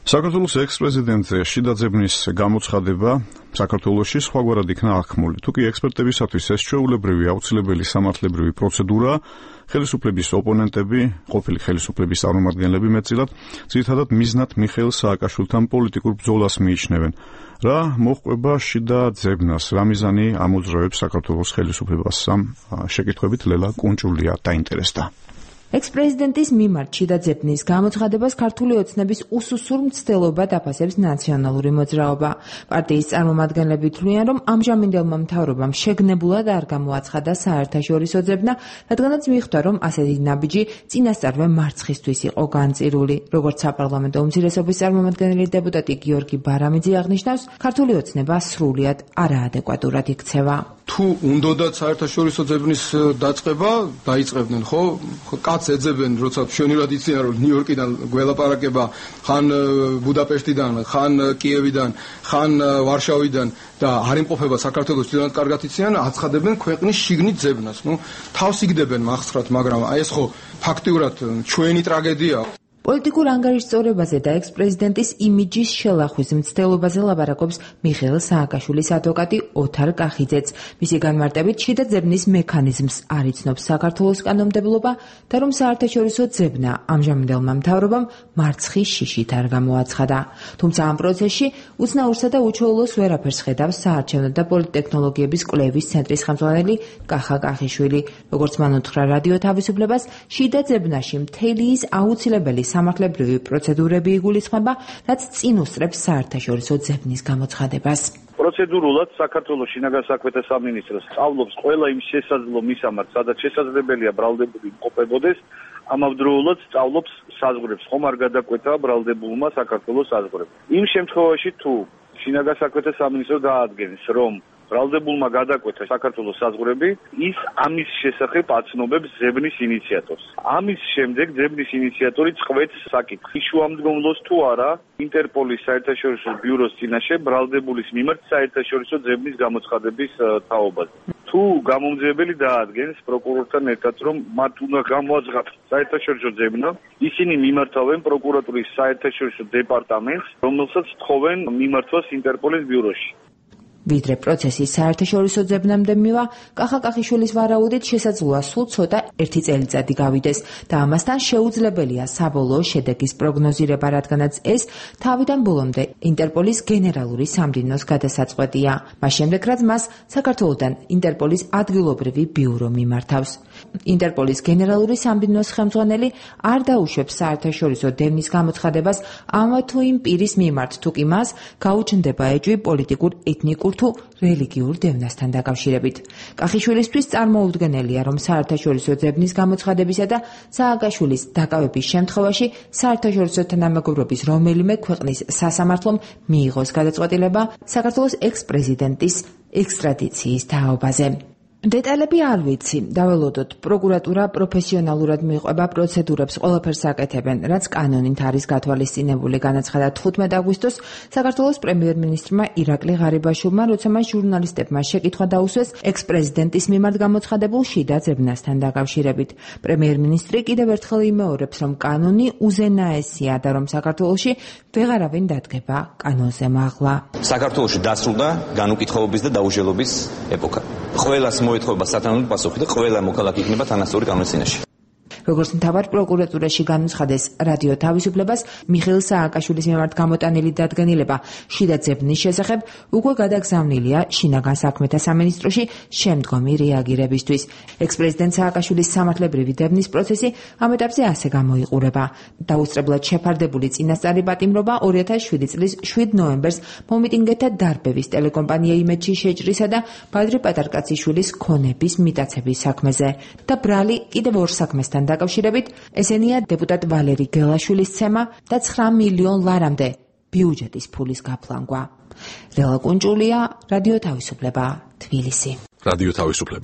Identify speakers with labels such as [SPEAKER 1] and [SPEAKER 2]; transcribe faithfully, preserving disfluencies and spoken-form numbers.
[SPEAKER 1] საქართველოს ექს-პრეზიდენტ შიდა ძებნის გამოცხადება საქართველოში სხვაგვარად იქნა აღქმული. თუკი ექსპერტებისათვის ეს ჩვეულებრივი აუცილებელი სამართლებრივი პროცედურაა, ხელისუფლების ოპონენტები, ყოფილი ხელისუფლების წარმომადგენლები მეტწილად, ძირითადად მიზნად მიხეილ სააკაშვილთან პოლიტიკურ ბრძოლას მიიჩნევენ. რა მოჰყვება შიდა ძებნას, რა მიზანი ამოძრავებს საქართველოს ხელისუფლებას? ამ შეკითხვებით ლელა კუნჭულია დაინტერესდა.
[SPEAKER 2] ექს-პრეზიდენტის მიმართ შიდა ძებნის გამოცხადებას ქართული ოცნების უსუსურ მცდელობა დაფასებს ნაციონალური მოძრაობა. პარტიის წარმომადგენლები თვლიან, რომ ამჟამინდელმა მთავრობამ შეგნებულად არ გამოაცხადა საერთაშორისო ძებნა, რადგანაც მიხვდა, რომ ასეთი ნაბიჯი წინასწარვე მარცხისთვის იყო განწირული. როგორც საპარლამენტო უმცირესობის წარმომადგენელი დეპუტატი გიორგი ბარამიძე აღნიშნავს, ქართული ოცნება სრულიად არაადეკვატურად იქცევა.
[SPEAKER 3] თუ უნდოდათ საერთაშორისო ძებნის დაწყება, დაიწყებდნენ, ხო? კაც ეძებენ, როცა მშვენივრად იციან, რომ ნიუ-იორკიდან გველაპარაკება, ხან ბუდაპეშტიდან, ხან კიევიდან, ხან ვარშავიდან და არ იმყოფება საქართველოს თვითონაც კარგად იციან, აცხადებენ ქვეყნის შიგნით ძებნას. ნუ თავს იგდებენ მახსხრათ, მაგრამ აი ეს ხო ფაქტიურად ჩვენი ტრაგედიაა.
[SPEAKER 2] პოლიტიკურ ანგარიშწორებაზე და ექს-პრეზიდენტის იმიჯის შელახვის მცდელობაზე ლაპარაკობს მიხეილ სააკაშვილის ადვოკატი ოთარ კახიძეც. მისი განმარტებით, შიდა ძებნის მექანიზმს არ იცნობს საქართველოს კანონმდებლობა და რომ საერთაშორისო ძებნა ამჟამინდელმა მთავრობამ მარცხის შიშით არ გამოაცხადა. თუმცა ამ პროცესში უცნაურსა და უჩვეულოს ვერაფერს ხედავს საარჩევნო და პოლიტექნოლოგიების კვლევის ცენტრის ხელმძღვანელი კახა კახიშვილი. როგორც მან უთხრა რადიო თავისუფლებას, შიდა ძებნაში მთელი ის აუცილებელი სამართლებრივი პროცედურები იგულისხმება, რაც წინ უსწრებს საერთაშორისო ძებნის გამოცხადებას.
[SPEAKER 4] პროცედურულად საქართველოს შინაგან საქმეთა სამინისტროს სწავლობს ყველა იმ შესაძლო მისამართს, სადაც შესაძლებელია ბრალდებული იმყოფებოდეს, ამავდროულად სწავლობს საზღვრებს, ხომ არ გადაკვეთა ბრალდებულმა საქართველოს საზღვრებს. იმ შემთხვევაში თუ შინაგან საქმეთა სამინისტრო დაადგენს, რომ ბრალდებულმა გადაკვეთა საქართველოს საზღვრები, ის ამის შესახებ აცნობებს ძებნის ინიციატორს. ამის შემდეგ ძებნის ინიციატორი წყვეტს საკითხს, შუამდგომლოს თუ არა ინტერპოლის საერთაშორისო ბიუროს წინაშე ბრალდებულის მიმართ საერთაშორისო ძებნის გამოცხადების თაობაზე. თუ გამომძიებელი დაადგენს პროკურორთან ერთად, რომ მათ უნდა გამოაცხადოს საერთაშორისო ძებნა, ისინი მიმართავენ პროკურატურის საერთაშორისო დეპარტამენტს, რომელსაც თხოვენ მიმართვას ინტერპოლის ბიუროში.
[SPEAKER 2] ვიდრე პროცესის საერთაშორისო ძებნამდე მივა, კახა კახიშვილის ვარაუდით შესაძლოა სულ ცოტა ერთი წელიწადი გავიდეს და ამასთან შეუძლებელია საბოლოო შედეგის პროგნოზირება, რადგანაც ეს თავიდან ბოლომდე ინტერპოლის გენერალური სამდივნოს გადასაწყვეტია. მას შემდეგ, რაც მას საქართველოდან ინტერპოლის ადგილობრივი ბიურო მიმართავს. ინტერპოლის გენერალური სამდივნოს ხელმძღვანელი არ დაუშვებს საერთაშორისო დევნის გამოცხადებას ამ თუ იმ პირის მიმართ, თუ კი მას გაუჩნდება ეჭვი პოლიტიკურ, ეთნიკურ თუ რელიგიურ დევნასთან დაკავშირებით. კახიშვილისთვის წარმოუდგენელია, რომ საერთაშორისო ძებნის გამოცხადებისა და სააკაშვილის დაკავების შემთხვევაში საერთაშორისო თანამეგობრობის რომელიმე ქვეყნის სასამართლომ მიიღოს გადაწყვეტილება საქართველოს ექს-პრეზიდენტის ექსტრადიციის თაობაზე. დეტალები არ ვიცი, დაველოდოთ, პროკურატურა პროფესიონალურად მიყვება პროცედურებს, ყველაფერს აკეთებენ, რაც კანონით არის გათვალისწინებული, განაცხადა თხუთმეტ აგვისტოს საქართველოს პრემიერ-მინისტრმა ირაკლი ღარიბაშვილმა, როცა მას ჟურნალისტებმა შეკითხვა დაუსვეს ექს-პრეზიდენტის მიმართ გამოცხადებულ შიდა ძებნასთან დაკავშირებით. პრემიერ-მინისტრი კიდევ ერთხელ იმეორებს, რომ კანონი უზენაესია და რომ საქართველოში ვეღარავინ დადგება კანონზე მაღლა.
[SPEAKER 5] საქართველოში დასრულდა განუკითხაობის და დაუჟელობის ეპოქა. ყველას მოეთხოვება სათანადო პასუხი და ყველა მოქალაქე იქნება თანასწორი კანონის წინაშე.
[SPEAKER 2] როგორც მთავარ პროკურატურაში განუცხადეს რადიო თავისუფლებას, მიხეილ სააკაშვილის მიმართ გამოტანილი დადგენილება შიდა ძებნის შესახებ უკვე გადაგზავნილია შინაგან საქმეთა სამინისტროში შემდგომი რეაგირებისთვის. ექს-პრეზიდენტ სააკაშვილის სამართლებრივი დევნის პროცესი ამ ეტაპზე ასე გამოიყურება. დაუსწრებლად შეფარდებული წინასწარი პატიმრობა ორი ათას შვიდი წლის შვიდ ნოემბერს მომიტინგეთა დარბევის ტელეკომპანია იმედში შეჭრისა და ბადრი პატარკაციშვილის ქონების მიტაცების საქმეზე და ბრალი კიდევ ორ საქმესთან დაკავშირებით, ესენია დეპუტატ ვალერი გელაშვილის ცემა და ცხრა მილიონ ლარამდე ბიუჯეტის ფულის გაფლანგვა. ლელა კუნჭულია, რადიო თავისუფლება, თბილისი.
[SPEAKER 1] რადიო თავისუფლება.